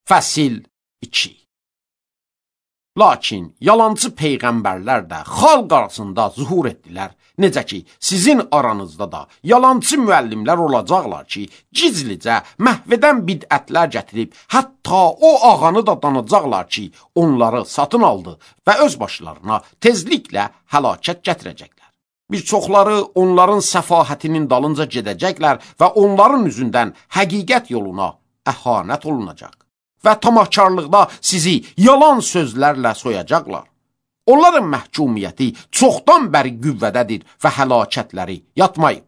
Fəsil 2. Lakin yalancı peyğəmbərlər də xalq arasında zuhur etdilər. Necə ki, sizin aranızda da yalancı müəllimlər olacaqlar ki, gizlicə məhvədən bidətlər gətirib, hətta o ağanı da danacaqlar ki, onları satın aldı və öz başlarına tezliklə həlakət gətirəcəklər. Bir çoxları onların səfahətinin dalınca gedəcəklər və onların üzündən həqiqət yoluna əhanət olunacaq. Və tamahkarlıqda sizi yalan sözlərlə soyacaqlar. Onların məhkumiyyəti çoxdan bəri qüvvədədir və həlakətləri yatmayıb.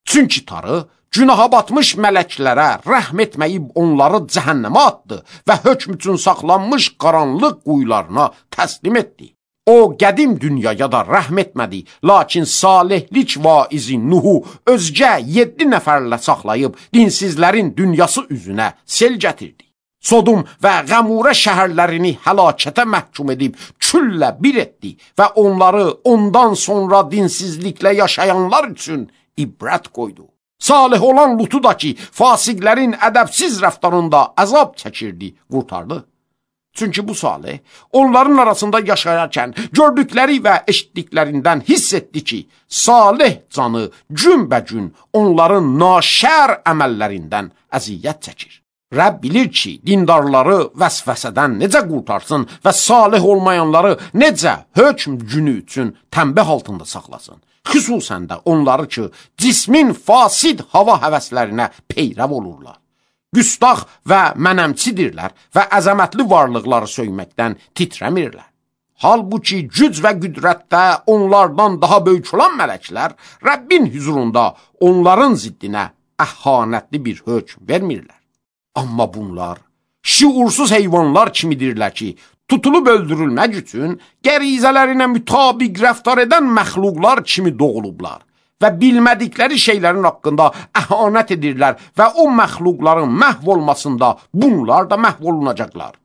Çünki Tanrı günaha batmış mələklərə rəhm etməyib onları cəhənnəmə atdı və hökm üçün saxlanmış qaranlıq quyularına təslim etdi. O, qədim dünyaya da rəhm etmədi, lakin salihlik vaizi Nuhu özgə 7 nəfərlə saxlayıb dinsizlərin dünyası üzünə sel gətirdi. Sodum və Qəmurə şəhərlərini həlakətə məhkum edib küllə bir etdi və onları ondan sonra dinsizliklə yaşayanlar üçün ibrət qoydu. Salih olan Lutu da ki, fasiqlərin ədəbsiz rəftarında əzab çəkirdi, qurtardı. Çünki bu Salih onların arasında yaşayarkən gördükləri və eşitdiklərindən hiss etdi ki, Salih canı günbəgün onların naşər əməllərindən əziyyət çəkir. Rəbb bilir ki, dindarları vəsvəsədən necə qurtarsın və salih olmayanları necə hökm günü üçün tənbih altında saxlasın. Xüsusən də onları ki, cismin fasid hava həvəslərinə peyrəv olurlar. Güstaq və mənəmçidirlər və əzəmətli varlıqları söyməkdən titrəmirlər. Halbuki güc və qüdrətdə onlardan daha böyük olan mələklər Rəbbin hüzurunda onların ziddinə əhanətli bir hökm vermirlər. Amma bunlar şuursuz heyvanlar kimidirlər ki, tutulub öldürülmək üçün qərizələrinə mütabiq rəftar edən məxluqlar kimi doğulublar və bilmədikləri şeylərin haqqında əhanət edirlər və o məxluqların məhv olmasında bunlar da məhv olunacaqlar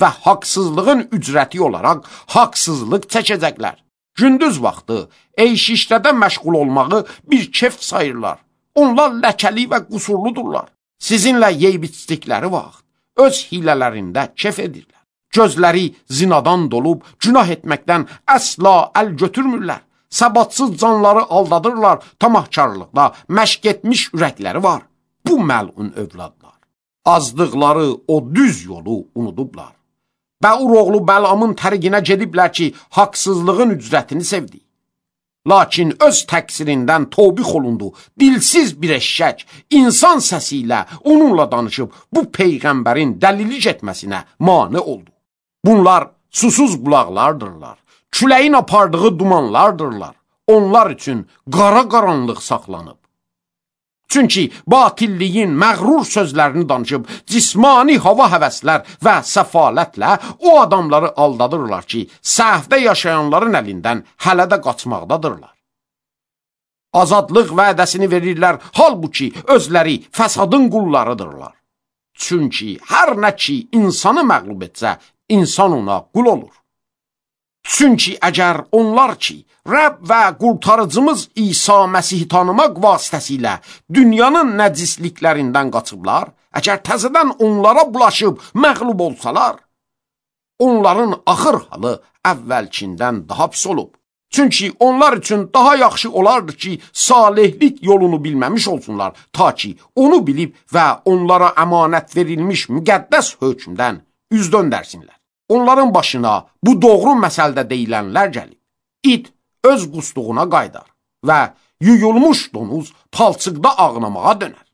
və haqsızlığın ücrəti olaraq haqsızlıq çəkəcəklər. Gündüz vaxtı eyş-işrədə məşğul olmağı bir kef sayırlar. Onlar ləkəli və qusurludurlar. Sizinlə yeyib içdikləri vaxt öz hilələrində kef edirlər. Gözləri zinadan dolub, günah etməkdən əsla əl götürmürlər. Səbatsız canları aldadırlar, tamahkarlıqda məşq etmiş ürəkləri var. Bu məlun övladlar. Azdıqları o düz yolu unudublar. Bəur oğlu Bəlamın təriqinə gediblər ki, haqsızlığın ücrətini sevdi. Lakin öz təqsirindən tövbih olundu. Dilsiz bir eşşək insan səsi ilə onunla danışıb bu peyğəmbərin dəlilik etməsinə mane oldu. Bunlar susuz qulaqlardırlar. Küləyin apardığı dumanlardırlar. Onlar üçün qara qaranlıq saxlanıb. Çünki batilliyin məğrur sözlərini danışıb cismani hava həvəslər və səfalətlə o adamları aldadırlar ki, səhvdə yaşayanların əlindən hələ də qaçmaqdadırlar. Azadlıq vədəsini verirlər, halbuki özləri fəsadın qullarıdırlar. Çünki hər nə ki insanı məğlub etsə, insan ona qul olur. Çünki əgər onlar ki, Rəbb və qurtarıcımız İsa Məsihi tanımaq vasitəsilə dünyanın nəcisliklərindən qaçıblar, əgər təzədən onlara bulaşıb məğlub olsalar, onların axır halı əvvəlkindən daha pis olub. Çünki onlar üçün daha yaxşı olardı ki, salihlik yolunu bilməmiş olsunlar, ta ki onu bilib və onlara əmanət verilmiş müqəddəs hökmdən üz döndərsinlər. Onların başına bu doğru məsəldə deyilənlər gəlib. İt öz qusduğuna qaydar və yuyulmuş donuz palçıqda ağnamağa dönər.